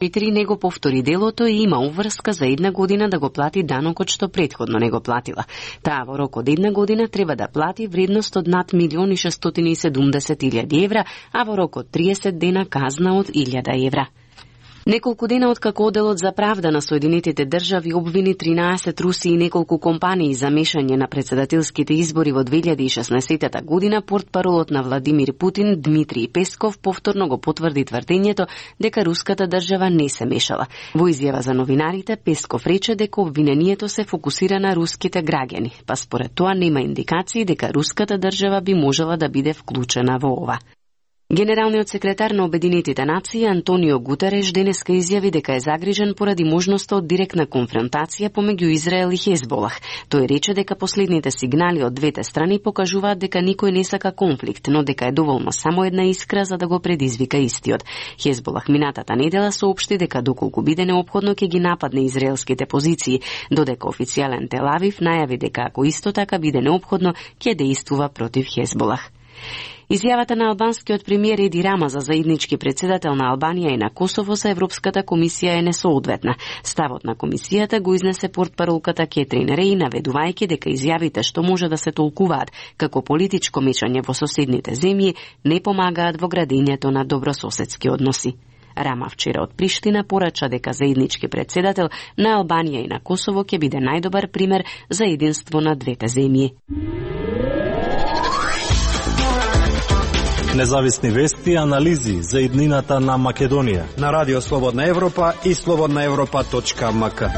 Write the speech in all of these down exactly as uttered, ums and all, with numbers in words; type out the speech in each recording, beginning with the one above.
Четири него повтори делото и има уврска за една година да го плати данокот што претходно не го платила. Таа во рок од една година треба да плати вредност од над милион и шестстотини и седумдесет илјади евра, а во рок од триесет дена казна од илјада евра. Неколку дена откако Оделот за правда на Соединетите држави обвини тринаесет руси и неколку компании за мешање на претседателските избори во две илјади и шеснаесетта година, портпаролот на Владимир Путин Дмитриј Песков повторно го потврди тврдењето дека руската држава не се мешала. Во изјава за новинарите, Песков рече дека обвинението се фокусира на руските граѓани, па според тоа нема индикации дека руската држава би можела да биде вклучена во ова. Генералниот секретар на Обединетите нации Антонио Гутереш денеска изјави дека е загрижен поради можноста од директна конфронтација помеѓу Израел и Хезболах. Тој рече дека последните сигнали од двете страни покажуваат дека никој не сака конфликт, но дека е доволно само една искра за да го предизвика истиот. Хезболах минатата недела соопшти дека доколку биде неопходно ќе ги нападне израелските позиции, додека официјален Тел Авив најави дека ако исто така биде неопходно ќе дејствува против Хезболах. Изјавата на албанскиот премиер Еди Рама за заеднички председател на Албанија и на Косово за Европската комисија е несоодветна. Ставот на комисијата го изнесе портпаролката Кетрин Реј, наведувајќи дека изјавите што може да се толкуваат како политичко мешање во соседните земји не помагаат во градењето на добрососедски односи. Рама вчера од Приштина порача дека заеднички председател на Албанија и на Косово ќе биде најдобар пример за единство на двете земји. Независни вести и анализи за иднината на Македонија на Радио Слободна Европа и слободна европа точка ем ка.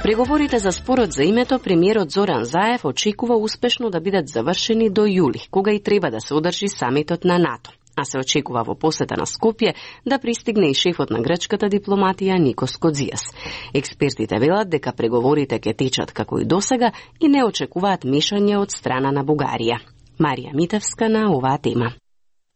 Преговорите за спорот за името премиерот Зоран Заев очекува успешно да бидат завршени до јули, кога и треба да се одржи самитот на НАТО. А се очекува во посета на Скопје да пристигне и шефот на грчката дипломатија Никос Кодзијас. Експертите велат дека преговорите ќе течат како и досега и не очекуваат мешање од страна на Бугарија. Марија Митевска на оваа тема.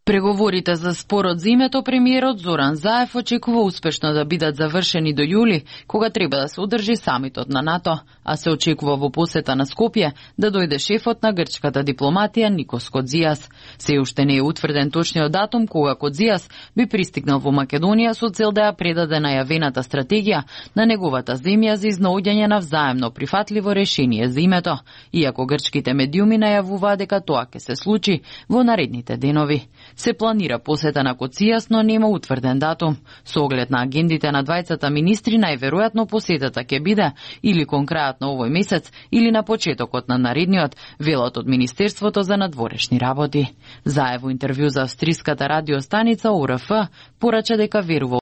Преговорите за спорот за името премиерот Зоран Заев очекува успешно да бидат завршени до јули, кога треба да се одржи самитот на НАТО, а се очекува во посета на Скопје да дојде шефот на грчката дипломатија Никос Кодзијас. Се уште не е утврден точниот датум кога Кодзијас би пристигнал во Македонија со цел да ја предаде најавената стратегија на неговата земја за изнаоѓање на взаемно прифатливо решение за името, иако грчките медиуми најавуваат дека тоа ќе се случи во наредните денови. Се планира посета на Кодзијас, но нема утврден датум. Со оглед на агендите на двајцата министри, најверојатно посетата ќе биде или кон крајот на овој месец, или на почетокот на наредниот, велат од Министерството за надворешни работи. Заев во интервју за австриската радиостаница О Р Ф порача дека верува